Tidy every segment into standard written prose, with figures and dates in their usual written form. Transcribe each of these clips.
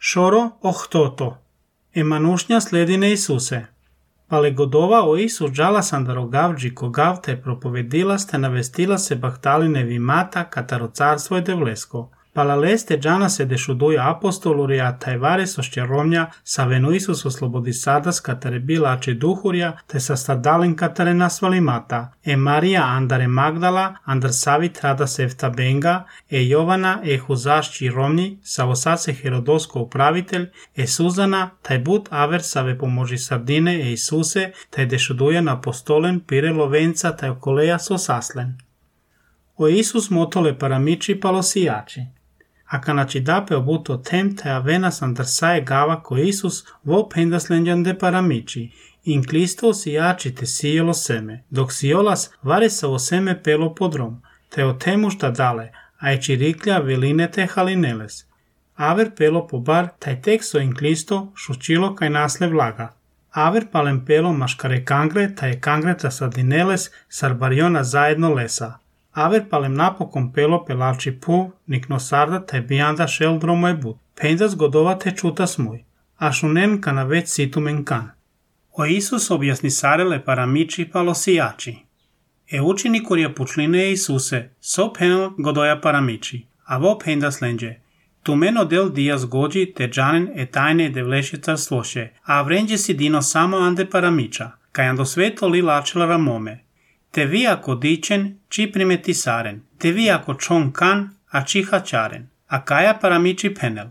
Шоро охтото. Еманушња следине Исусе. Пале годова о Исус джаласан да рогавджи когав те проповедила сте навестила се бахталине вимата катаро царство е девлеско. Палалесте джана се дешудуја апостолурија тајваре со шќеромња савено Исус ослободи садас катаре била аче духурја те са стадален катаре насвалимата. Е Марија андаре Магдала, андар Савит рада сефта Бенга, е Јована е Хузашчи ромни, савосаце Херодоско управител, е Сузана, тај бут авер саве поможи сардине е Исусе, тај дешудуја на апостолен пире ловенца тај околеја со саслен. О Исус мотоле парамичи палосијачи. A kanači dape obuto temte avenas andarsae gava ko Isus vo pendaslenjan de paramici, in Kristo sijači te sijelo seme, dok sijolas varesa o seme pelo podrom, te o temu šta dale, a je čiriklja veline te halineles. Aver pelo pobar taj teksto in Kristo šučilo kaj nasle vlaga. Aver palem pelo maškare kangre taj kangreta sardineles sarbariona zajedno lesa. Aver palem napokon pelo pelači puv, nikno sarda taj bijanda šel dromo je bud. Pendas godova te čutas muj, a šunen kana već situmen kan. O Isus objasni sarele paramiči palosijači. E učinikurja pučline Isuse, so penal godoja paramiči, a vo pendas lenđe. Tu meno del dias gođi te džanen e tajne devleše carstvoše, a vrenđe si dino samo ande paramiča, kaj ando sveto li lačela ramome. Te vi ako dičen, či primeti saren, te vi ako čon kan, a či hačaren, a kaja paramiči penel.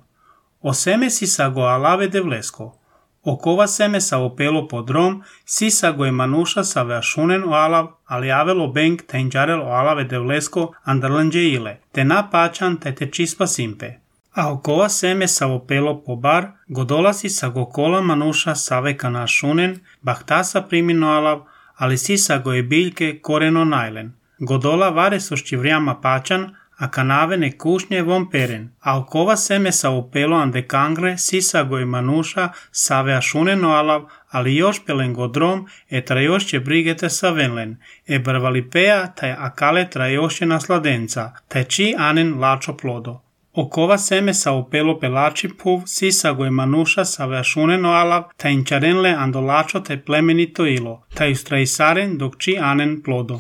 O seme si sago alave devlesko, o kova seme sa opelo podrom, si sago e manuša sa veašunen o alav, ali avelo benk tenđarel o alave devlesko andarlanđe ile, te na pačan te čispa simpe. A o kova seme sa opelo pobar, godola si sago kola manuša sa veka našunen, bahtasa primino alav, ali sisago je biljke koreno najlen. Godola vare so ščivrijama pačan, a kanavene kušnje vom peren. A okova seme sa opelo ande kangre sisago je manuša save ašuneno alav, ali još pelen godrom e trajošće brigete sa venlen. E brvalipeja taj akale trajošće nasladenca, taj či anen lačo plodo. Okova seme sa opelo pelači puv, sisago je manuša sa veašuneno alav, ta inčarenle andolačo te plemenito ilo, ta ustraisaren dok či anen plodo.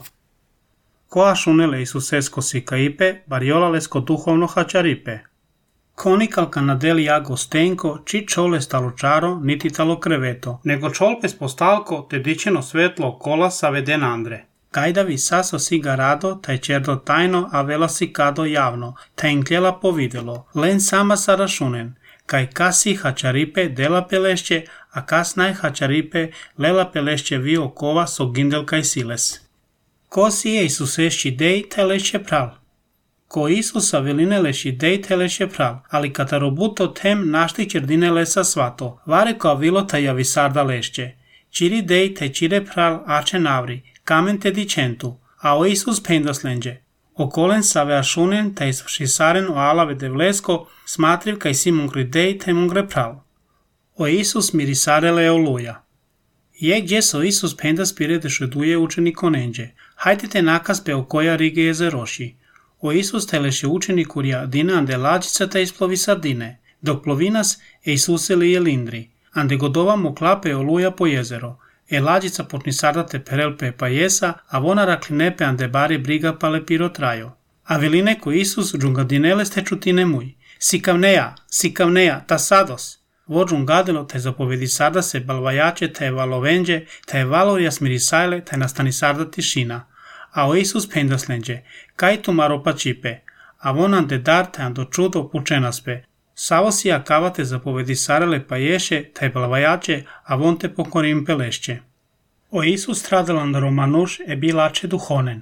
Ko ašunele Isusesko sikaipe, barjolalesko duhovno hačaripe. Konikal kanadeli jago stenko, či čole stalo čaro, niti talo kreveto, nego čolpe spostalko te dičeno svetlo kola sa veden andre. Kajdavi saso si ga rado, taj čerdo tajno, a vela si kado javno, taj inkljela povidelo, len sama sa rašunen, kaj kasi hačaripe dela pelešće, a kas naj hačaripe lela pelešće vi okova so gindel kaj siles. Ko si je Isusešći dej, te leše pral. Ko Isusa veline leši dej, te leše pral, ali katarobuto tem našti čerdine lesa svato, vare ko avilo taj javisarda lešće. Čiri dej, te čire pral, ače navri, kamen te dičentu, a o Isus pendaslenđe. Okolen sa veašunen te isšisaren o alave devlesko, smatriv kaj si mungri dej te mungre pral. O Isus mirisarele oluja. Je gdje so Isus pendas pire dešeduje učenik onenđe. Hajte te nakaz pe okoja rige jezeroši. O Isus te leše učenikurja dina ande lađica te isplovi sardine, dok plovinas e Isuse li je lindri, ande godova mu klape oluja po jezero. E lađica počni sardate perelpe pa jesa, a vona raklinepe ande bari briga pale piro trajo. A veline ko Isus džungadinele ste čutine muj. Sikavneja, ta sados. Vo džungadelo te zapovedi sarda se balvajače te valovenđe, te valorja smirisajle, te nastani sarda tišina. A o Isus pendaslenđe, kaj tu maropa čipe, a von ande dar te ando čudo pučenaspe. Savo si akava te zapovedi sarele pa ješe, te balvajače, a von te pokorim pelešće. O Isus stradalan romanuš e bilače duhonen.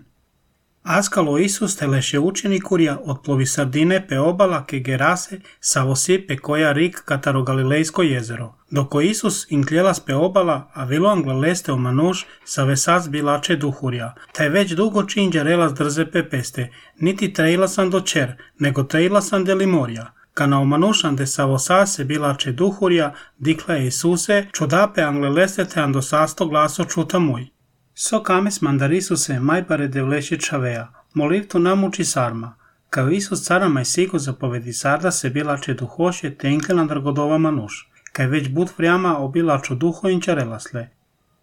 Askalo Isus te leše učenikurja otplovi sardine pe obala ke gerase savo si pe koja rik kataro Galilejsko jezero. Doko Isus inklelas pe obala, a vilo anglaleste o manuš sa vesas bilače duhurja. Taj već dugo činđa relas drze pe peste, niti trejlasan do čer, nego trejlasan de limorja. Kana o manušan de savo sase bilače duhurja, dikla je Isuse, čudape anglaleste te ando sasto glaso čuta muj. So kames mandarisuse mai pare devleše čavea, molirtu namuči sarma, Kao Isus cara mai sigur zapovedi sarda se bilače duhoše te inkelandar godova manuš, kaj već bud vriama obilaču duho inčarelasle.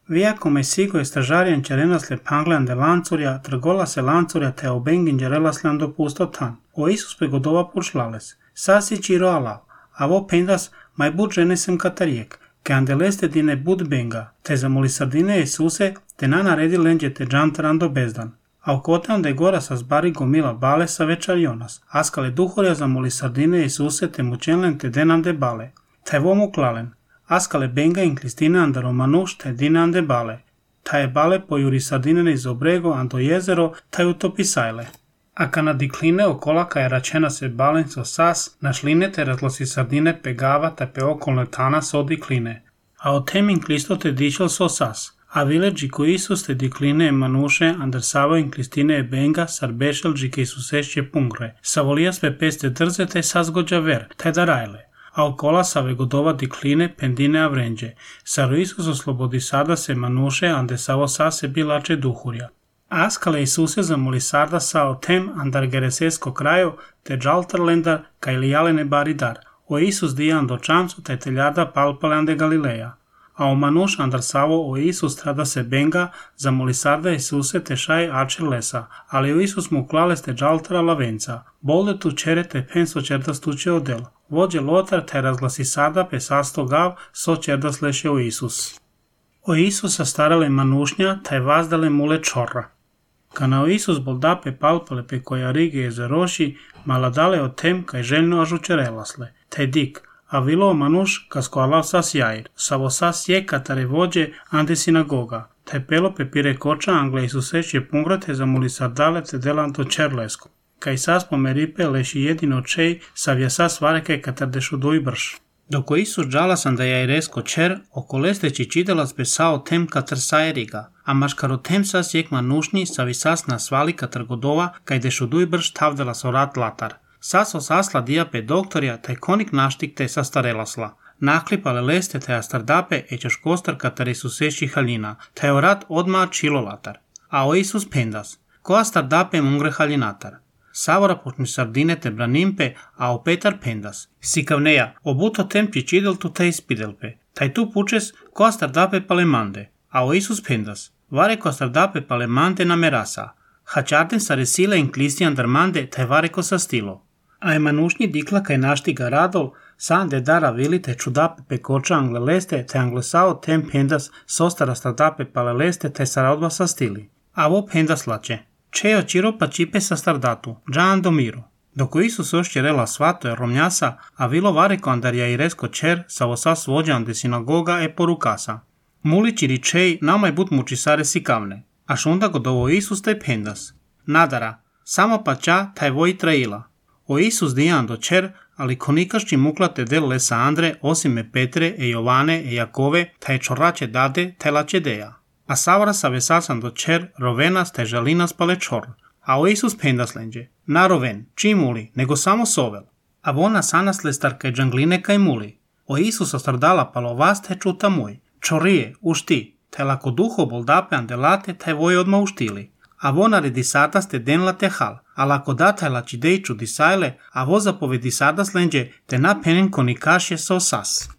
Viako mai sigur je stražarijan čarenasle panglan de lancurja, trgola se lancurja te obengin čarelaslan dopusto tan. O Isus pe godova pušlales, sasi čiro alav, avo pendas mai bud ženesem katarijek, ke andeleste dine bud benga, te zamoli sardine Isuse, te na naredi lenđe te džantarando bezdan. A okotan de gora sa zbari gomila bale sa večarionas, askale duhorja zamoli sardine Isuse te mučenlen te denan de bale. Taj vomu klalen, askale benga in klistine andaro manuš te dinan de bale. Taj bale pojuri sardinene iz obrego ando jezero taj utopi sajle. A kana dikline okolaka je račena se balen so sas, našline te razlosi sardine pegava te pe okolne tana so dikline. A o tem in klisto te dišel so sas. A vileđi ko Isus te dikline e manuše andrsavo in klistine e benga sarbešelđi ke Isusešće pungre. Savolijas pe peste drze te sazgođa ver, te darajle. A okola save godova dikline pendine avrenđe. Saro Isus oslobodi sada se manuše andesavo sase bilače duhurja. Askale Isuse zamoli sarda sa o tem andar geresesko kraju te džaltarlendar kaj lijalene baridar. O Isus dijan do čamcu te teljarda palpalande Galileja. A o manuš andar savo o Isus trada se benga zamoli sarda Isuse te šaj ačer lesa, ali o Isus mu klales te džaltara lavenca. Bolde tu čere te penso čerda stuče odel. Vođe lotar te razglasi sarda pe sasto gav so čerda sleše o Isus. O Isusa starale manušnja te vazdale mule čorra. Kana o Isus boldape palpale pe koja rige je zaroši, maladale o tem kaj željno ažučerelasle, te dik, a vilo manuš kasko alav sas jair, savo sas je katare vođe ande sinagoga, te pelo pe pire koča angle Isuseš je pungra te zamoli sardale te delanto čerlesko, kaj sas pomeripe leši jedino čej savja sas vareke katar dešu doj brš. Doko Isus džalasan da jairesko čer, okolesteći čidelas besao tem katar sajeriga, a maškaro tem sas jek manušni savi sas nasvali katar godova kaj dešu doj brš tavdelas orat latar. Sas osasla dijape doktorja te konik naštik te sastarelasla. Naklipale leste te astardape ećeš kostar katar Isusešći haljina, te orat odma čilolatar. A o Isus pendas, ko astardape mungre haljinatar. Savora počni sardine te branimpe, a o Petar pendas. Sikavneja, obuto tem čičidel tu te ispidelpe. Taj tu pučes ko astardape palemande. A o Isus pendas, vare ko astardape palemande na merasa. Hačarten sa resile in klistijan darmande te vare ko sa stilo. A emanušnji dikla kaj naštiga radol, san de dara vili te čudape pekoča angleleste te anglesao tem pendas sostara stardape paleleste te saradba sa stili. A vo pendas lače. Čeo čiro pa čipe sa stardatu, džan do miru. Doko Isus ošće rela svato je romnjasa, a vilo vareko andarja i resko čer sa osa svođan de sinagoga e porukasa. Muli čiri čej namaj but mučisare sikavne. A šunda godovo Isus te pendas. Nadara, samo pa ča taj voj traila. O Isus dijan do čer, ali konikašći muklate del lesa Andre, osime Petre e Jovane e Jakove, taj čorače dade, taj lačedeja. A savara sa vesasan do čer, rovenas taj žalinas pale čor. A o Isus pendas lenđe. Na roven, čim muli, nego samo sovel. A vona sanas lestar kaj džangline kaj muli. O Isus ostardala palo vas taj čuta moj. Čorije, ušti, taj lako duho boldape andelate taj voj odma uštili. A vona redisardas te denla te hal, a lako dataj lačidejču disajle, a vo zapovedi sardas lenđe te na penen konikašje so sas.